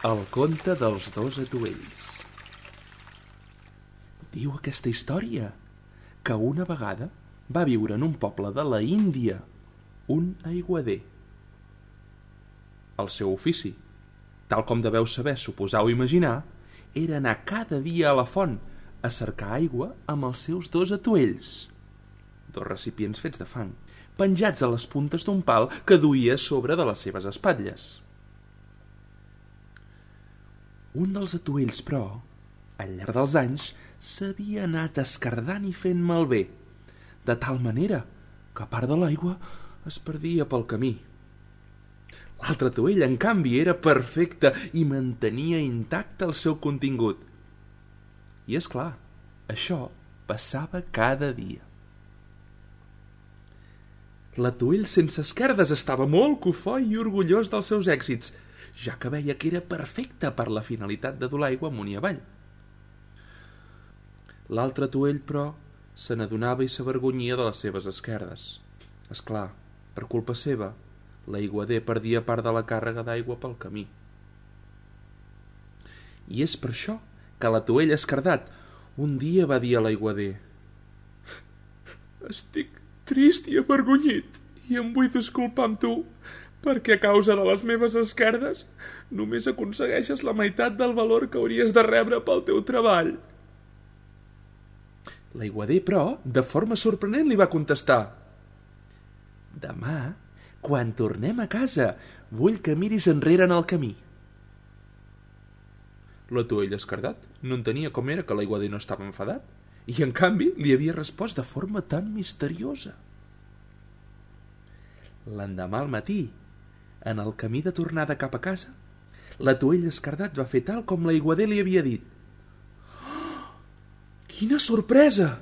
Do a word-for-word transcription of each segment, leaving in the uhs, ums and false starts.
El conte dels dos atuells. Diu aquesta història que una vegada va viure en un poble de la Índia un aiguader. El seu ofici, tal com deveu saber, suposar o imaginar, era anar cada dia a la font a cercar aigua amb els seus dos atuells, dos recipients fets de fang, penjats a les puntes d'un pal que duia a sobre de les seves espatlles. Un dels atuells, però, al llarg dels anys, s'havia anat escardant i fent malbé, de tal manera que part de l'aigua es perdia pel camí. L'altre atuell, en canvi, era perfecte i mantenia intacte el seu contingut. I, és clar, això passava cada dia. L'atuell sense esquerdes estava molt cofoi i orgullós dels seus èxits, ja que veia que era perfecte per la finalitat de dur l'aigua amunt i avall. L'altre atuell, però, se n'adonava i s'avergonyia de les seves esquerdes. És clar, per culpa seva, l'aiguader perdia part de la càrrega d'aigua pel camí. I és per això que l'atuell escardat un dia va dir a l'aiguader: «Estic trist i avergonyit i em vull disculpar amb tu, perquè a causa de les meves esquerdes només aconsegueixes la meitat del valor que hauries de rebre pel teu treball». L'aiguader, però, de forma sorprenent li va contestar: «Demà, quan tornem a casa, vull que miris enrere en el camí». L'atuell escardat no entenia com era que l'aiguader no estava enfadat i, en canvi, li havia respost de forma tan misteriosa. L'endemà al matí, en el camí de tornada cap a casa, l'atuell escardat va fer tal com l'aiguader li havia dit. Oh, quina sorpresa!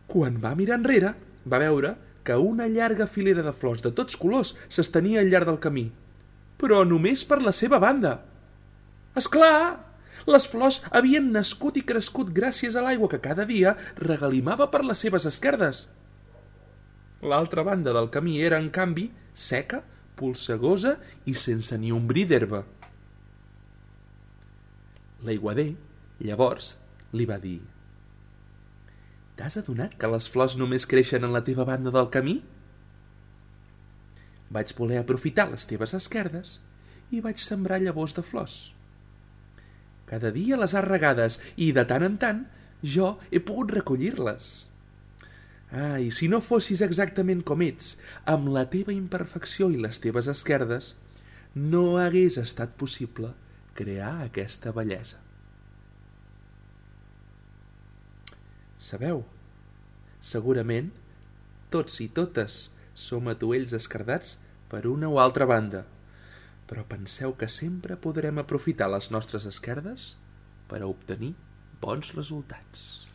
Quan va mirar enrere, va veure que una llarga filera de flors de tots colors s'estenia al llarg del camí, però només per la seva banda. És clar! Les flors havien nascut i crescut gràcies a l'aigua que cada dia regalimava per les seves esquerdes. L'altra banda del camí era, en canvi, seca, polsegosa i sense ni un bri d'herba. L'aiguader, llavors, li va dir: «T'has adonat que les flors només creixen en la teva banda del camí? Vaig voler aprofitar les teves esquerdes i vaig sembrar llavors de flors. Cada dia les has regades i, de tant en tant, jo he pogut recollir-les. Ah, i si no fossis exactament com ets, amb la teva imperfecció i les teves esquerdes, no hagués estat possible crear aquesta bellesa». Sabeu? Segurament, tots i totes som atuells escardats per una o altra banda, però penseu que sempre podrem aprofitar les nostres esquerdes per a obtenir bons resultats.